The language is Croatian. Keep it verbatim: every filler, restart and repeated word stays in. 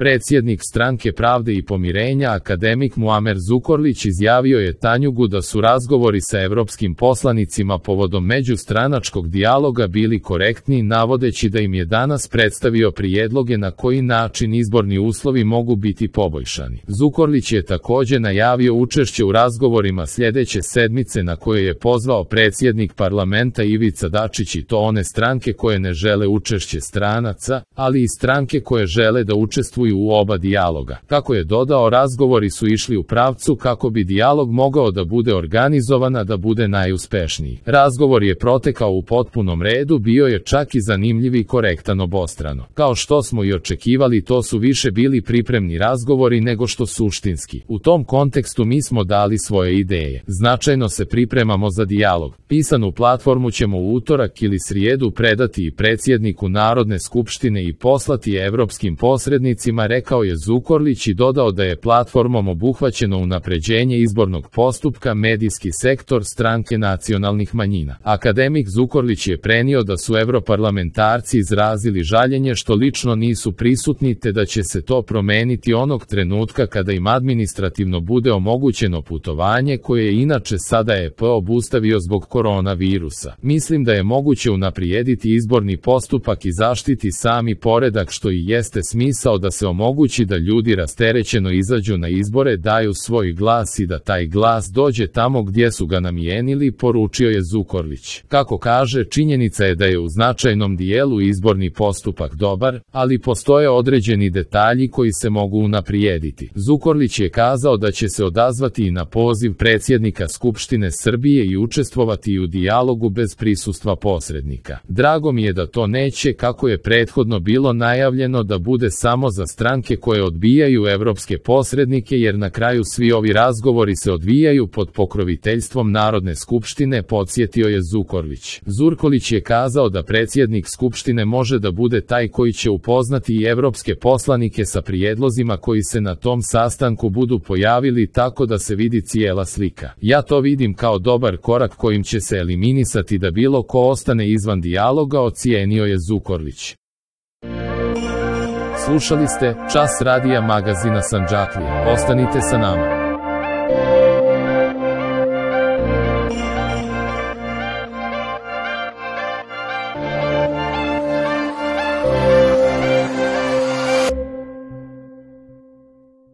Predsjednik Stranke pravde i pomirenja akademik Muamer Zukorlić izjavio je Tanjugu da su razgovori sa evropskim poslanicima povodom međustranačkog dijaloga bili korektni, navodeći da im je danas predstavio prijedloge na koji način izborni uslovi mogu biti poboljšani. Zukorlić je također najavio učešće u razgovorima sljedeće sedmice na koje je pozvao predsjednik parlamenta Ivica Dačić, i to one stranke koje ne žele učešće stranaca, ali i stranke koje žele da učestvuju u oba dijaloga. Kako je dodao, razgovori su išli u pravcu kako bi dijalog mogao da bude organizovan, a da bude najuspešniji. Razgovor je protekao u potpunom redu, bio je čak i zanimljiv i korektan obostrano. Kao što smo i očekivali, to su više bili pripremni razgovori nego što suštinski. U tom kontekstu mi smo dali svoje ideje. Značajno se pripremamo za dijalog. Pisanu platformu ćemo u utorak ili srijedu predati i predsjedniku Narodne skupštine i poslati evropskim posrednicima, rekao je Zukorlić i dodao da je platformom obuhvaćeno unapređenje izbornog postupka, medijski sektor, stranke nacionalnih manjina. Akademik Zukorlić je prenio da su evroparlamentarci izrazili žaljenje što lično nisu prisutni, te da će se to promeniti onog trenutka kada im administrativno bude omogućeno putovanje koje je inače sada E P obustavio zbog koronavirusa. Mislim da je moguće unaprijediti izborni postupak i zaštiti sami poredak, što i jeste smisao da se omogući da ljudi rasterećeno izađu na izbore, daju svoj glas i da taj glas dođe tamo gdje su ga namijenili, poručio je Zukorlić. Kako kaže, činjenica je da je u značajnom dijelu izborni postupak dobar, ali postoje određeni detalji koji se mogu unaprijediti. Zukorlić je kazao da će se odazvati i na poziv predsjednika Skupštine Srbije i učestvovati u dijalogu bez prisustva posrednika. Drago mi je da to neće, kako je prethodno bilo najavljeno, da bude samo za stranke koje odbijaju evropske posrednike, jer na kraju svi ovi razgovori se odvijaju pod pokroviteljstvom Narodne skupštine, podsjetio je Zukorlić. Zukorlić je kazao da predsjednik Skupštine može da bude taj koji će upoznati i evropske poslanike sa prijedlozima koji se na tom sastanku budu pojavili, tako da se vidi cijela slika. Ja to vidim kao dobar korak kojim će se eliminisati da bilo ko ostane izvan dijaloga, ocijenio je Zukorlić. Slušali ste Čas radija magazina Sandžaklije. Ostanite sa nama.